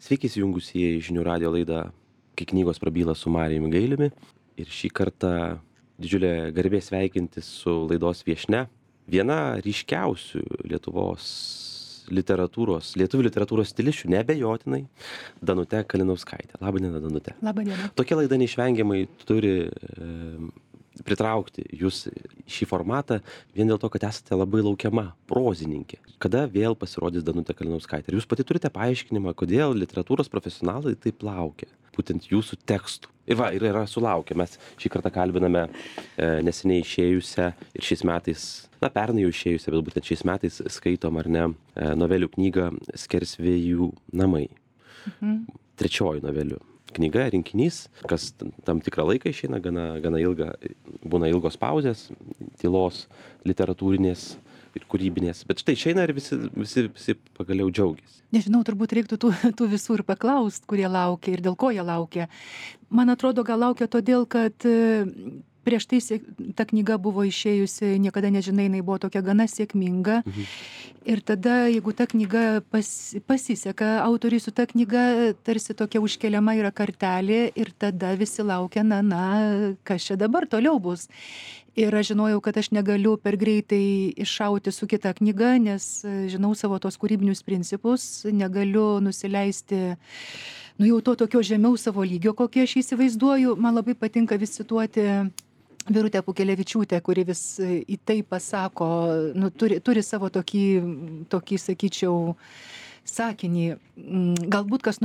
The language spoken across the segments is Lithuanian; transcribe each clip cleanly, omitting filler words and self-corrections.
Sveiki įsijungusieji žinių radijo laidą Kai knygos prabyla su Marijumi Gailiumi. Ir šį kartą didžiulė garbė sveikintis su laidos viešnia. Viena ryškiausių lietuvių literatūros stilisčių, neabejotinai, Danutė Kalinauskaitė. Labą dieną, Danutė. Labą dieną. Tokia laida neišvengiamai turi pritraukti jūs šį formatą vien dėl to, kad esate labai laukiama prozininkė. Kada vėl pasirodys Danutė Kalinauskaitė? Ir jūs pati turite paaiškinimą, kodėl literatūros profesionalai taip laukia būtent jūsų tekstų. Ir yra sulaukę. Mes šį kartą kalbiname neseniai išėjusią ir šiais metais, pernai jau išėjusią, bet būtent šiais metais skaitom ar ne novelių knygą Skersvėjų namai. Trečioji novelių knyga, rinkinys, kas tam tikrą laiką išeina, gana ilga, būna ilgos pauzės, tylos, literatūrinės ir kūrybinės. Bet štai išeina ir visi pagaliau džiaugiasi. Nežinau, turbūt reiktų tų visų ir paklaust, kurie laukia ir dėl ko jie laukia. Man atrodo, gal laukia todėl, kad prieš tai ta knyga buvo išėjusi, niekada nežinai, jinai buvo tokia gana sėkminga. Ir tada, jeigu ta knyga pasiseka, autoriui su ta knyga tarsi tokia užkeliama yra kartelė ir tada visi laukia, kas čia dabar toliau bus. Ir aš žinojau, kad aš negaliu per greitai iššauti su kita knyga, nes žinau savo tos kūrybinius principus, negaliu nusileisti jau to tokio žemiau savo lygio, kokį aš įsivaizduoju. Man labai patinka vis cituoti Birutę Pūkelevičiūtę, kuri vis į tai pasako, turi savo tokį, sakyčiau, sakinį. Galbūt kas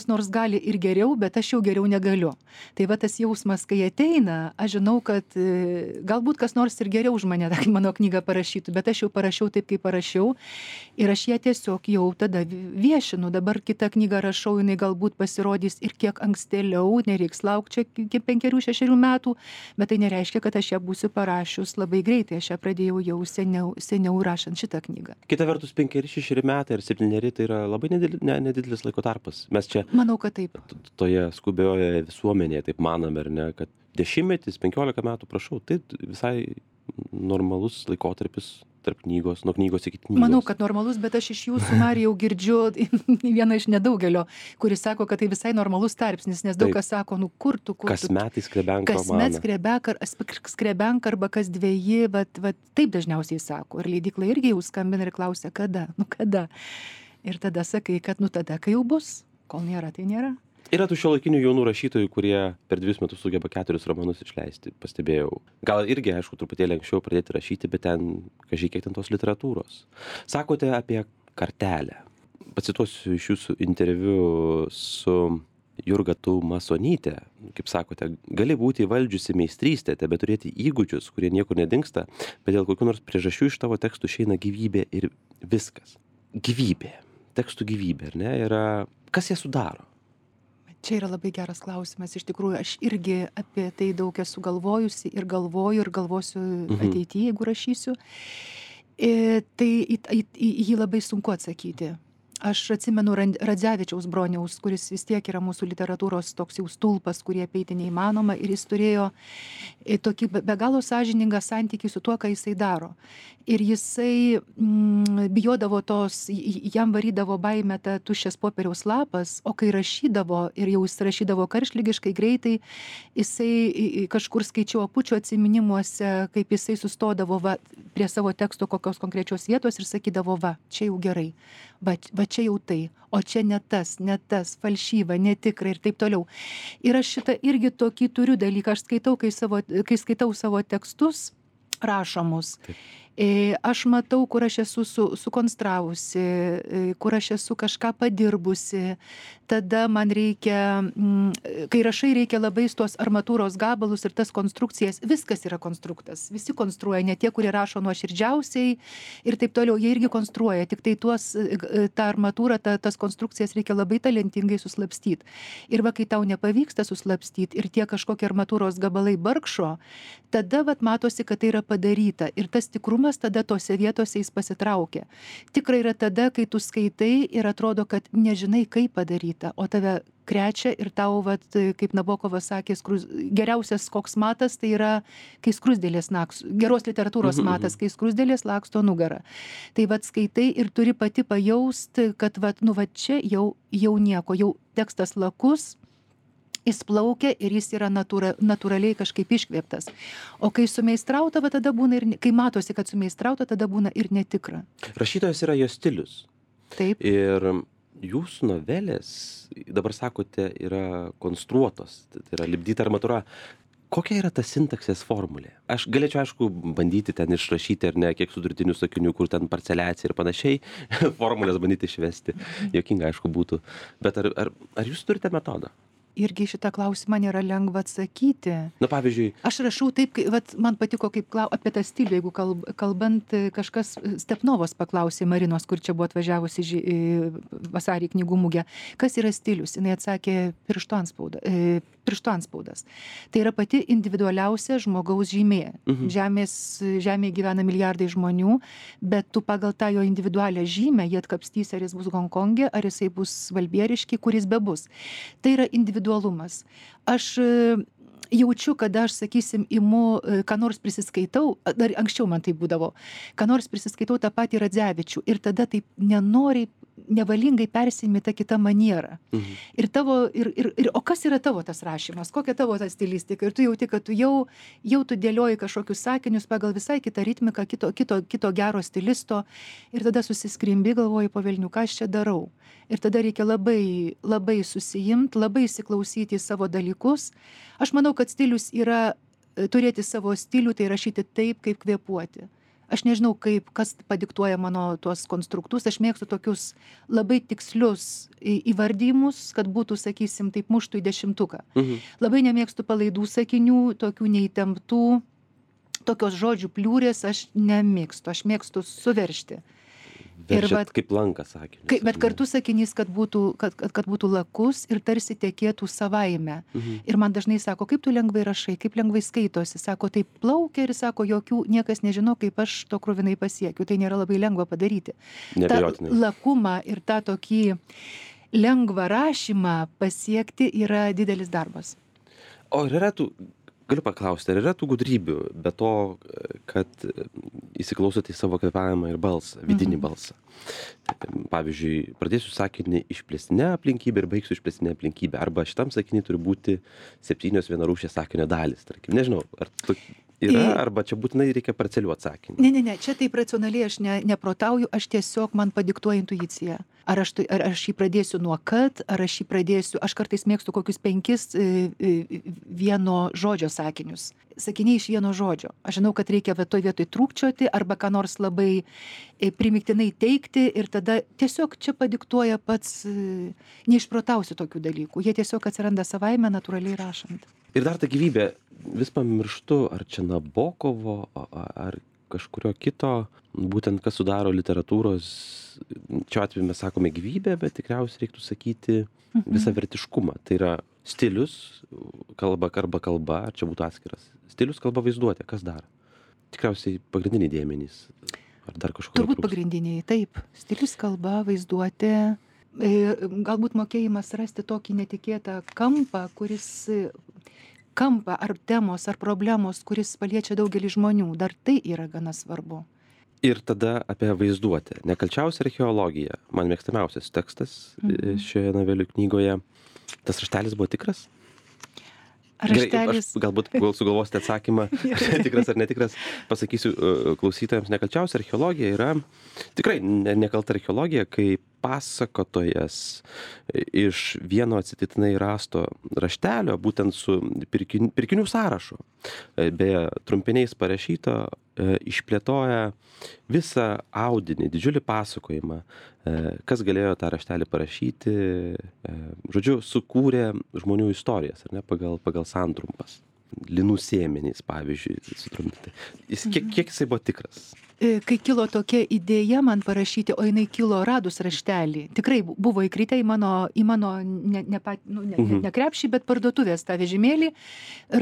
nors gali ir geriau, bet aš jau geriau negaliu. Tai va tas jausmas, kai ateina, aš žinau, kad galbūt kas nors ir geriau už mane mano knygą parašytų, bet aš jau parašiau taip, kaip parašiau. Ir aš ją tiesiog jau tada viešinu. Dabar kitą knygą rašau, jinai galbūt pasirodys ir kiek ankstėliau, nereiks laukti čia iki 5-6 metų, bet tai nereiškia, kad aš ją būsiu parašius labai greitai. Aš ją pradėjau jau seniau rašant šitą knygą. Kita vertus, 5-6 metai ar 7 tai yra labai nedidelis laiko tarpas. Mes čia, manau, kad taip. Toje skubioje visuomenėje taip manome, ar ne, kad 10, 15 metų, prašau, tai visai normalus laikotarpis tarp knygos, nuo knygos iki knygos. Manau, kad normalus, bet aš iš jūsų, Marijau, girdžiu vieną iš nedaugelio, kuris sako, kad tai visai normalus tarpsnis, nes daug kas sako, kur tu. Kas metai skrebenka romaną. Kasmet skrebenka arba kas 2, vat taip dažniausiai sako. Ir leidykla irgi jau skambina ir klausia, kada. Ir tada sakai, kad tada, kai jau bus, kol nėra, tai nėra. Yra tų šiuolaikinių jaunų rašytojų, kurie per 2 metus sugeba 4 romanus išleisti, pastebėjau. Gal irgi, aišku, truputėlį anksčiau pradėti rašyti, bet kiek ten tos literatūros. Sakote apie kartelę. Pacituosiu iš jūsų interviu su Jurga Tumasonyte. Kaip sakote, gali būti įvaldžiusi meistrystę, bet turėti įgūdžius, kurie niekur nedingsta, bet dėl kokių nors priežasčių iš tavo tekstų išeina gyvybė ir viskas. Gyvybė. Tekstų gyvybė, ar ne? Kas ją sudaro? Čia yra labai geras klausimas. Iš tikrųjų, aš irgi apie tai daug esu galvojusi ir galvoju ir galvosiu ateityje, jeigu rašysiu. Tai į jį labai sunku atsakyti. Aš atsimenu Radzevičiaus Broniaus, kuris vis tiek yra mūsų literatūros toks jau stulpas, kurį apeiti neįmanoma, ir jis turėjo tokį be galo sąžiningą santykį su tuo, ką jisai daro. Ir jisai bijodavo jam varydavo baimę ta tuščias popieriaus lapas, o kai rašydavo, ir jau jis rašydavo karštligiškai greitai, jisai kažkur skaičiau Apučio atsiminimuose, kaip jisai sustodavo prie savo teksto kokios konkrečios vietos ir sakydavo, čia jau gerai, va čia jau tai, o čia ne tas, falšyva, netikra ir taip toliau. Ir aš šitą irgi tokį turiu dalyką, aš skaitau, kai skaitau savo tekstus rašomus. Aš matau, kur aš esu sukonstravusi, kur aš esu kažką padirbusi. Tada man reikia, kai rašai, reikia labai tos armatūros gabalus ir tas konstrukcijas. Viskas yra konstruktas. Visi konstruoja, ne tie, kurie rašo nuoširdžiausiai ir taip toliau. Jie irgi konstruoja, tik tai tą armatūrą, tas konstrukcijas reikia labai talentingai suslapstyti. Ir kai tau nepavyksta suslapstyti ir tie kažkokie armatūros gabalai barkšo, tada matosi, kad tai yra padaryta. Ir tas tikrumas tikrumas, tada tose vietose jis pasitraukia. Tikra yra tada, kai tu skaitai ir atrodo, kad nežinai, kaip padaryta, o tave krečia ir tau, vat, kaip Nabokovas sakė, geriausias koks matas, tai yra, kai skruzdėlės geros literatūros matas, kai skruzdėlės laksto nugarą. Tai vat skaitai ir turi pati pajausti, kad vat, nu, vat čia jau nieko, jau tekstas lakus, jis plaukia ir jis yra natūraliai kažkaip iškvėptas. O kai sumeistrauta, tada būna ir, kai matosi, kad sumeistrauta, tada būna ir netikra. Rašytojas yra jo stilius. Taip. Ir jūsų novelės, dabar sakote, yra konstruotos, tai yra lipdyta armatūra. Kokia yra ta sintaksės formulė? Aš galėčiau, aišku, bandyti ten išrašyti, ar ne, kiek sudurtinių sakinių, kur ten parceliacija ir panašiai, formulės bandyti išvesti. Jokinga, aišku, būtų. Bet ar jūs turite metodą? Irgi šitą klausimą nėra lengva atsakyti. Na, pavyzdžiui. Aš rašau taip, vat, man patiko apie tą stilių, jeigu kalbant, kažkas Stepnovos paklausė Marinos, kur čia buvo atvažiavusi vasarį knygų mugę. Kas yra stilius? Jis atsakė pirštų antspaudas. Tai yra pati individualiausia žmogaus žymė. Žemėje gyvena milijardai žmonių, bet tu pagal tą jo individualią žymę jie atkapstys, ar jis bus Honkongė, ar jisai bus Valbieriški, kuris bebus. Tai yra individualumas. Aš jaučiu, kada aš, sakysim, imu, ką nors prisiskaitau, dar anksčiau man tai būdavo, ką nors prisiskaitau tą patį Radzevičių ir tada taip nenoriai, nevalingai persiimi tą kitą manierą. Ir o kas yra tavo tas rašymas, kokia tavo ta stilistika? Ir tu jauti, kad tu jau tu dėlioji kažkokius sakinius pagal visai kitą ritmiką, kito gero stilisto ir tada susiskrimbi, galvoji, po velnių, ką aš čia darau. Ir tada reikia labai, labai susijimti, labai įsiklausyti į savo dalykus. Aš manau, kad stilius yra turėti savo stilių, tai rašyti taip, kaip kvėpuoti. Aš nežinau, kas padiktuoja mano tuos konstruktus, aš mėgstu tokius labai tikslius įvardymus, kad būtų, sakysim, taip muštų į 10. Labai nemėgstu palaidų sakinių, tokių neįtemptų, tokios žodžių pliūrės aš nemėgstu, aš mėgstu suveršti. Veržiat kaip lankas sakinys. Bet kartu sakinys, kad būtų lakus ir tarsi tekėtų savaime. Ir man dažnai sako, kaip tu lengvai rašai, kaip lengvai skaitosi. Sako, taip plaukia ir sako, niekas nežino, kaip aš to kruvinai pasiekiu. Tai nėra labai lengva padaryti. Ta lakumą ir tą tokį lengvą rašymą pasiekti yra didelis darbas. O yra galiu paklausti, ar yra tų gudrybių, be to, kad įsiklausote į savo kvėpavimą ir balsą, vidinį balsą. Pavyzdžiui, pradėsiu sakinį išplėstinę aplinkybę ir baigsiu išplėstinę aplinkybę. Arba šitam sakinį turi būti 7 vienarūšės sakinio dalis, tarkim. Nežinau, ar yra, arba čia būtinai reikia parceliuoti sakinį. Ne, čia taip racionaliai aš neprotauju, aš tiesiog man padiktuoju intuiciją. Ar aš jį pradėsiu nuo kad, ar aš jį pradėsiu, aš kartais mėgstu kokius 5 vieno žodžio sakinius. Sakiniai iš vieno žodžio. Aš žinau, kad reikia toj vietoj trūkčioti arba ką nors labai primiktinai teikti ir tada tiesiog čia padiktuoja pats, neišprotausiu tokių dalykų. Jie tiesiog atsiranda savaime, natūraliai rašant. Ir dar ta gyvybė, vis pamirštu, ar čia Nabokovo, ar kažkurio kito, būtent kas sudaro literatūros, čia atveju mes sakome gyvybę, bet tikriausiai reiktų sakyti visavertiškumą. Tai yra stilius, kalba, ar čia būtų atskiras. Stilius, kalba, vaizduotė, kas dar? Tikriausiai pagrindiniai dėmenys, ar dar kažkokie. Turbūt pagrindiniai, taip. Stilius, kalba, vaizduotė, galbūt mokėjimas rasti tokį netikėtą kampą, ar temos, ar problemos, kuris paliečia daugelį žmonių. Dar tai yra gana svarbu. Ir tada apie vaizduotę. Nekalčiausia archeologija. Man mėgstamiausias tekstas šioje novelių knygoje. Tas raštelis buvo tikras? Raštelis. Gerai, galbūt sugalvosite atsakymą, tikras ar netikras, pasakysiu klausytojams. Nekalčiausia archeologija yra tikrai nekalta archeologija, kai pasakotojas iš vieno atsitiktinai rasto raštelio, būtent su pirkinių sąrašu, beje, trumpiniais parašyto, išplėtoja visą audinį, didžiulį pasakojimą, kas galėjo tą raštelį parašyti, žodžiu, sukūrė žmonių istorijas, ar ne, pagal santrumpas. Linų sėmenys, pavyzdžiui, sutrumpinti. Kiek jisai buvo tikras? kai kilo tokia idėja man parašyti, o jinai kilo radus raštelį. Tikrai buvo įkritę į mano ne krepšį, bet parduotuvės tą vežimėlį.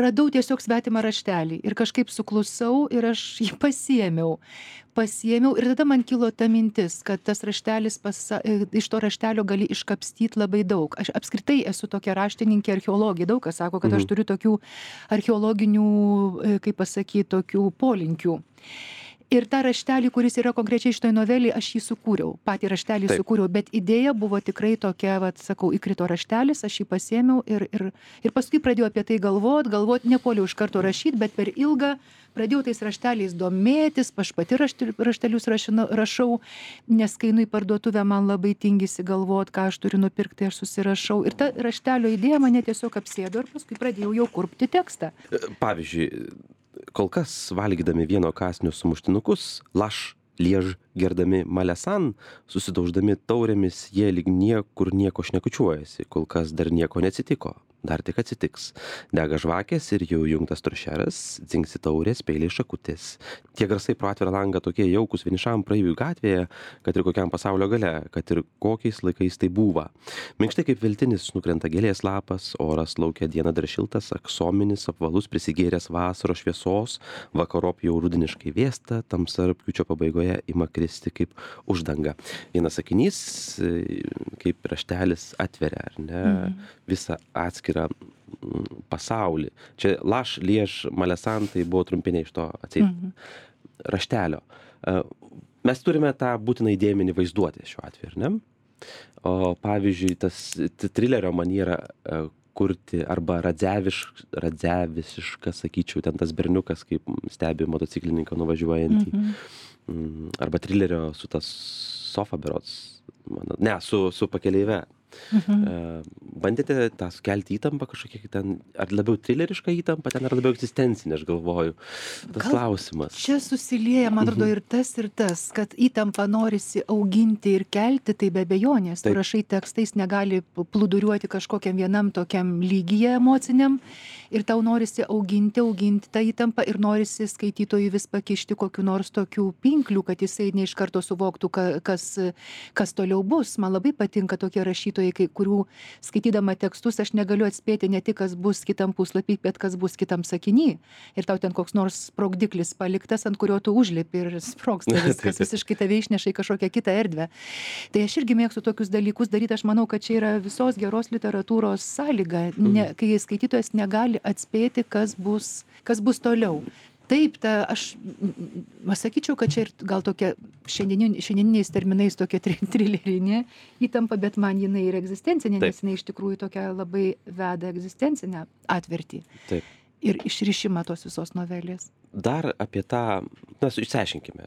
Radau tiesiog svetimą raštelį ir kažkaip suklusau ir aš jį pasiėmiau ir tada man kilo ta mintis, kad tas raštelis, iš to raštelio gali iškapstyti labai daug. Aš apskritai esu tokia raštininkė archeologija, daug kas sako, kad aš turiu tokių archeologinių, kaip pasakyti, tokių polinkių. Ir tą raštelį, kuris yra konkrečiai šitoj novelį, aš jį sukūriau, patį raštelį sukūriau, bet idėja buvo tikrai tokia, sakau, įkrito raštelis, aš jį pasiėmiau ir paskui pradėjau apie tai galvot, nepuoliau iš karto rašyti, bet per ilgą pradėjau tais rašteliais domėtis, aš pati raštelius rašau, nes kai einu į parduotuvę, man labai tingisi galvot, ką aš turiu nupirkti, aš susirašau. Ir ta raštelio idėja mane tiesiog apsėdo ir paskui pradėjau jau kurpti tekstą. Pavyzdžiui, kol kas valgydami vieno kąsnio sumuštinukus, laš, liež, gerdami malesan, susidauždami taurėmis, jie lyg niekur nieko šnekučiuojasi, kol kas dar nieko neatsitiko. Dar tik atsitiks. Dega žvakės ir jau jungtas toršeras, dzingsi taurės, peiliai šakutės. Tie garsai pro atvirą langą tokie jaukus vienišam praeiviui gatvėje, kad ir kokiam pasaulio gale, kad ir kokiais laikais tai buvo. Minkštai kaip viltinis nukrenta gėlės lapas, oras laukia dieną dar šiltas, aksominis, apvalus, prisigėręs vasaros šviesos, vakarop jau rudeniškai vėsta, tamsa rugpjūčio pabaigoje ima kristi kaip uždanga. Vienas sakinys, kaip raštelis atveria, ar ne, visą atskirą pasaulį. Čia laš, liež, malesan, tai buvo trumpiniai iš to atseit raštelio. Mes turime tą būtinai dėmenį vaizduoti šiuo atveju, ar ne? O pavyzdžiui, tas trilerio maniera kurti arba radzeviška, sakyčiau, ten tas berniukas, kaip stebi motociklininką nuvažiuojantį. Arba trilerio su tas sofa berods, su pakeleive. Bandėte tą sukelti įtampą kažkokią ten, ar labiau trilerišką įtampą ten, ar labiau egzistencinę, aš galvoju. Tas klausimas. Čia susilieja, man atrodo, ir tas, kad įtampą norisi auginti ir kelti, tai be abejonės. Tu rašai tekstais, negali plūduriuoti kažkokiam vienam tokiam lygyje emociniam ir tau norisi auginti tą įtampą ir norisi skaitytojui vis pakišti kokiu nors tokių pinklių, kad jisai ne iš karto suvoktų, kas toliau bus. Man labai patinka tokie rašytojai, kurių skaitydama tekstus aš negaliu atspėti ne tik, kas bus kitam puslapį, bet kas bus kitam sakiny. Ir tau ten koks nors sprogdiklis paliktas, ant kurio tu užlipi ir sprogsta viskas, visiškai tave išneša į kažkokią kitą erdvę. Tai aš irgi mėgstu tokius dalykus daryti, aš manau, kad čia yra visos geros literatūros sąlyga, kai skaitytojas negali atspėti, kas bus toliau. Taip, aš sakyčiau, kad čia ir gal tokia šiandieniniais terminais tokia trilerinė įtampa, bet man jinai ir egzistencinė, nes jinai iš tikrųjų tokia labai veda egzistencinę atvertį. Taip. Ir išrišimą tos visos novelės. Dar apie tą, išsiaiškinkime,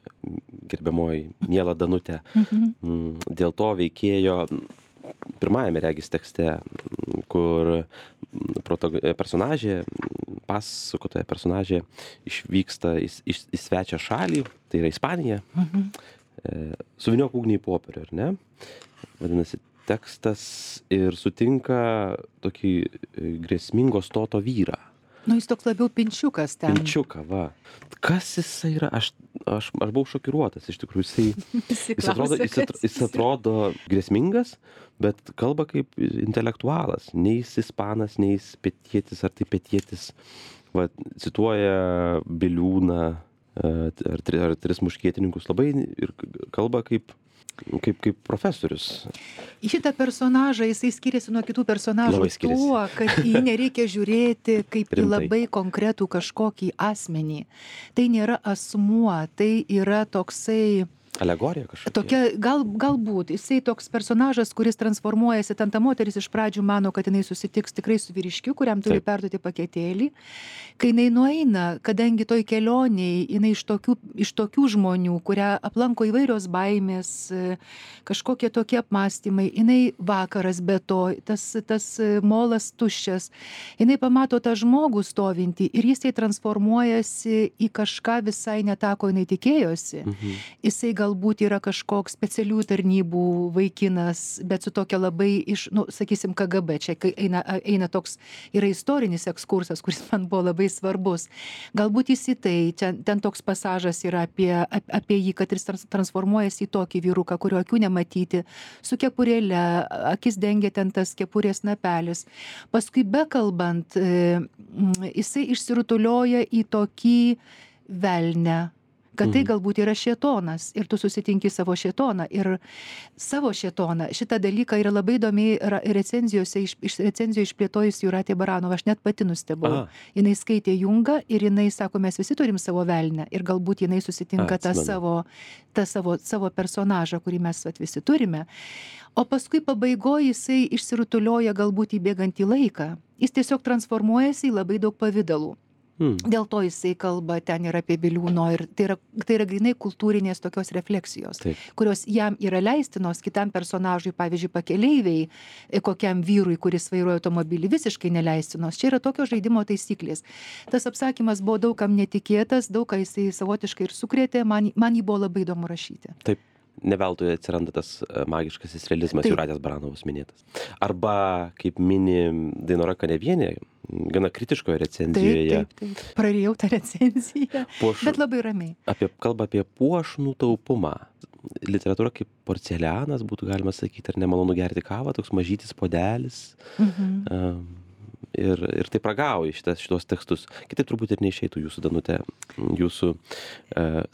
gerbiamoji miela Danutė, dėl to veikėjo pirmajame regis tekste, kur pasakotoja personažė išvyksta į svečią šalį, tai yra Ispanija, suvyniok ugnį į popierių, ar ne? Vadinasi, tekstas ir sutinka tokį grėsmingo stoto vyrą. Jis toks labiau pinčiukas ten. Pinčiuka, va. Kas jisai yra? Aš buvau šokiruotas, iš tikrųjų. Jis atrodo grėsmingas, bet kalba kaip intelektualas. Nei jis ispanas, nei jis pietietis, ar tai pietietis. Va, cituoja Biliūną ar tris muškietininkus labai ir kalba kaip profesorius. Šitą personažą jisai skiriasi nuo kitų personažų tuo, kad jį nereikia žiūrėti kaip į labai konkretų kažkokį asmenį. Tai nėra asmuo, tai yra toksai... Alegorija kažkokia. Tokia, galbūt, jisai toks personažas, kuris transformuojasi, ten ta moteris iš pradžių mano, kad jinai susitiks tikrai su vyriškiu, kuriam turi perduoti paketėlį. Kai jinai nueina, kadangi toj kelioniai, jinai iš tokių žmonių, kurią aplanko įvairios baimės, kažkokie tokie apmąstymai, jinai vakaras be to, tas molas tuščias, jinai pamato tą žmogų stovintį ir jisai transformuojasi į kažką visai ne tą, ko jinai tikėjosi. Jisai galbūt yra kažkoks specialių tarnybų vaikinas, bet su tokia labai sakysim, KGB, čia eina toks, yra istorinis ekskursas, kuris man buvo labai svarbus. Galbūt jis į tai, ten toks pasažas yra apie jį, kad jis transformuojasi į tokį vyruką, kurio akių nematyti, su kepurėle, akis dengia ten tas kepurės napelis. Paskui bekalbant, jisai išsirutulioja į tokį velnę, kad tai galbūt yra šėtonas ir tu susitinki savo šėtoną. Ir savo šėtoną, šitą dalyką yra labai įdomiai recenzijų išplėtojusi Jūratė Baranova, aš net pati nustebau. Jinai skaitė Jungą ir jinai sako, mes visi turim savo velnę ir galbūt jinai susitinka tą savo personažą, kurį mes visi turime. O paskui pabaigoje jisai išsirutulioja galbūt įbėgant į laiką. Jis tiesiog transformuojasi į labai daug pavydalų. Dėl to jisai kalba ten ir apie Biliūno, ir tai yra grynai kultūrinės tokios refleksijos, kurios jam yra leistinos, kitam personažui, pavyzdžiui, pakeleiviai, kokiam vyrui, kuris vairuoja automobilį, visiškai neleistinos. Čia yra tokio žaidimo taisyklės. Tas apsakymas buvo daugam netikėtas, daug ką jisai savotiškai ir sukrėtė, man jį buvo labai įdomu rašyti. Taip. Ne veltui atsiranda tas magiškasis realizmas Jūratės Baranovos minėtas. Arba, kaip mini Dainora Kanevienė, gana kritiškoje recenzijoje. Taip. Prarijau tą recenziją, bet labai ramiai. Kalba apie puošnų taupumą. Literatūra kaip porcelianas, būtų galima sakyti, ar nemalonu gerti kavą, toks mažytis puodelis. Ir taip ragauja šitos tekstus. Kitaip turbūt ir neišeitų jūsų, Danute,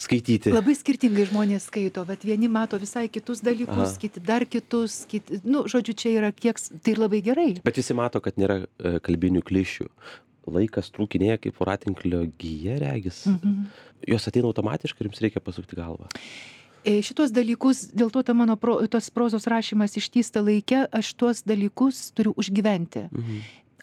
skaityti. Labai skirtingai žmonės skaito, bet vieni mato visai kitus dalykus, kiti dar kitus, žodžiu, čia yra tai labai gerai. Bet visi mato, kad nėra kalbinių klišių. Laikas trūkinėja kaip voratinklio gija, regis. Jos ateina automatiškai ir jums reikia pasukti galvą. Šitos dalykus, dėl to mano tos prozos rašymas ištįsta laike, aš tuos dalykus turiu užgyventi.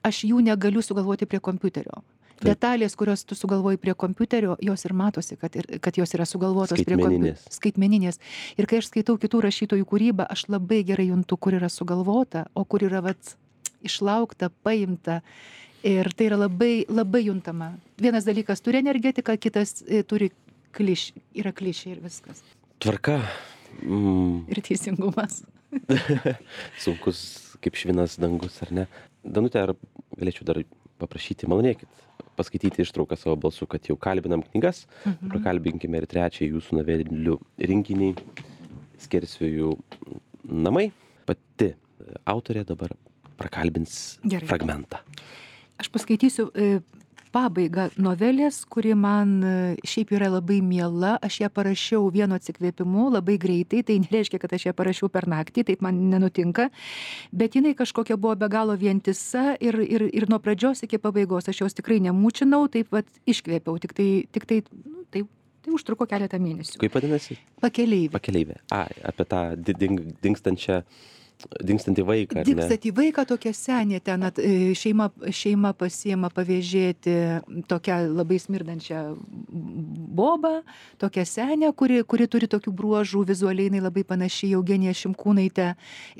Aš jų negaliu sugalvoti prie kompiuterio. Detalės, kurios tu sugalvoji prie kompiuterio, jos ir matosi, kad jos yra sugalvotos prie kompiuterio. Skaitmeninės. Ir kai aš skaitau kitų rašytojų kūrybą, aš labai gerai juntu, kur yra sugalvota, o kur yra išlaukta, paimta. Ir tai yra labai, labai juntama. Vienas dalykas turi energetiką, kitas turi yra klišė ir viskas. Tvarka. Ir teisingumas. Sunkus kaip švinas dangus, ar ne? Danute, ar galėčiau dar paprašyti, malonėkit, paskaityti ištrauką savo balsu, kad jau kalbinam knygas, prakalbinkime ir trečią jūsų novelių rinkinį Skersvėjų namai. Pati autorė dabar prakalbins fragmentą. Aš paskaitysiu pabaigą novelės, kuri man šiaip yra labai miela. Aš ją parašiau vienu atsikvėpimu labai greitai, tai nereiškia, kad aš ją parašiau per naktį, taip man nenutinka, bet jinai kažkokia buvo be galo vientisa ir nuo pradžios iki pabaigos aš jos tikrai nemūčinau, taip iškvėpiau, tik tai užtruko keletą mėnesių. Kaip vadinasi? Pakeleivė. Apie tą dingstantį vaiką, ar ne? Dingstantį vaiką, tokia senė ten, šeima pasiema pavėžėti tokią labai smirdančią bobą, tokią senę, kuri turi tokių bruožų, vizualiai jinai labai panaši į Eugeniją Šimkūnaitę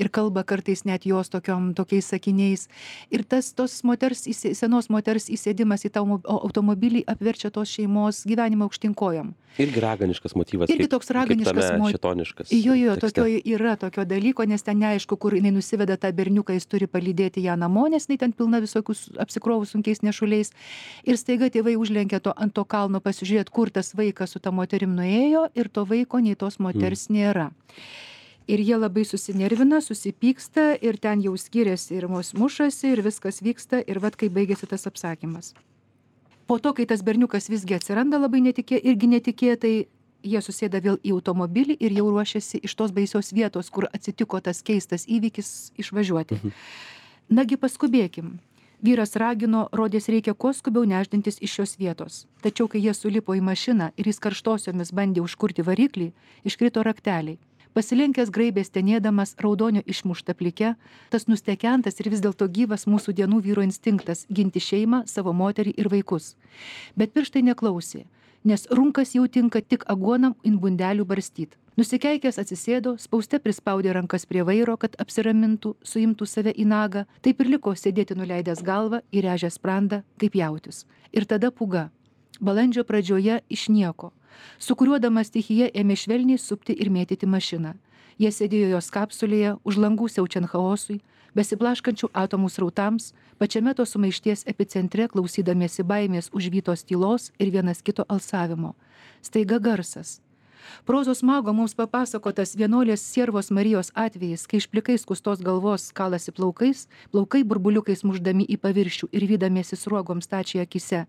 ir kalba kartais net jos tokiais sakiniais. Ir tos senos moters įsėdimas į tą automobilį apverčia tos šeimos gyvenimą aukštinkojom. Irgi raganiškas motyvas. Irgi toks raganiškas motyvas. Šėtoniškas. Jo, yra tokio dalyko, nes ten neaišku, kur jinai nusiveda tą berniuką, jis turi palydėti ją namo, nes jinai ten pilna visokius apsikrovus sunkiais nešuliais. Ir staiga tėvai užlenkia ant to kalno pasižiūrėti, kur tas vaikas su ta moterim nuėjo, ir to vaiko nei tos moters nėra. Ir jie labai susinervina, susipyksta ir ten jau skiriasi ir mušasi ir viskas vyksta ir kai baigėsi tas apsakymas. Po to, kai tas berniukas visgi atsiranda labai netikėtai, jie susėda vėl į automobilį ir jau ruošiasi iš tos baisios vietos, kur atsitiko tas keistas įvykis, išvažiuoti. Nagi paskubėkim. Vyras ragino, rodės reikia kuo skubiau nešdintis iš šios vietos. Tačiau, kai jie sulipo į mašiną ir jis karštosiomis bandė užkurti variklį, iškrito rakteliai. Pasilenkęs graibės tenėdamas raudonio išmuštą plikę, tas nustekentas ir vis dėlto gyvas mūsų dienų vyro instinktas ginti šeimą, savo moterį ir vaikus. Bet pirštai neklausė, nes runkas jau tinka tik aguonam in bundelių barstyt. Nusikeikęs atsisėdo, spauste prispaudė rankas prie vairo, kad apsiramintų, suimtų save į nagą, taip ir liko sėdėti nuleidęs galvą, įrėžęs sprandą, kaip jautis. Ir tada pūga. Balandžio pradžioje iš nieko. Sukuriuodama stichija ėmė švelniai supti ir mėtyti mašiną. Jie sėdėjo jos kapsulėje, už langų siaučiant chaosui, besiblaškančių atomų srautams, pačiame to sumaišties epicentre klausydamiesi baimės užvytos tylos ir vienas kito alsavimo. Staiga garsas. Prozos mago mums papasakotas vienuolės Siervos Marijos atvejis, kai iš plikai skustos galvos kalasi plaukai burbuliukais muždami į paviršių ir vydamiesi sruogom stačiai akise.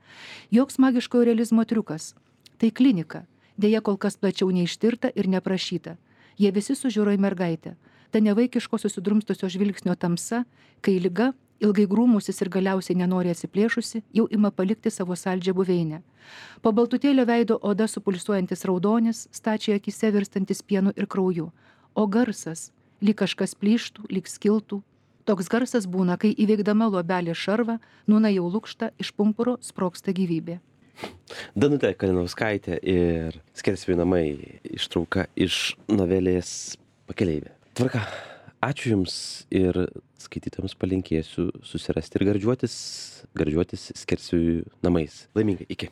Joks magiško realizmo triukas. Tai klinika, dėja kol kas plačiau neištirta ir neprašyta. Jie visi sužiūro į mergaitę. Ta nevaikiško susidrumstusio žvilgsnio tamsa, kai liga, ilgai grūmusis ir galiausiai nenori atsiplėšusi, jau ima palikti savo saldžią buveinę. Po baltutėlio veido oda supulsuojantis raudonis, stačiai akise virstantis pienu ir krauju. O garsas, lyg kažkas plyštų, lyg skiltų. Toks garsas būna, kai įveikdama luobelė šarvą, nūna jau lukšta, iš pumpuro sprogsta gyvybė. Danutė Kalinauskaitė ir Skersvėjų namai ištrauka iš novelės Pakeleivė. Tvarka. Ačiū Jums ir skaitytojams palinkėsiu susirasti ir gardžiuotis Skersvėjų namais. Laimingai, iki.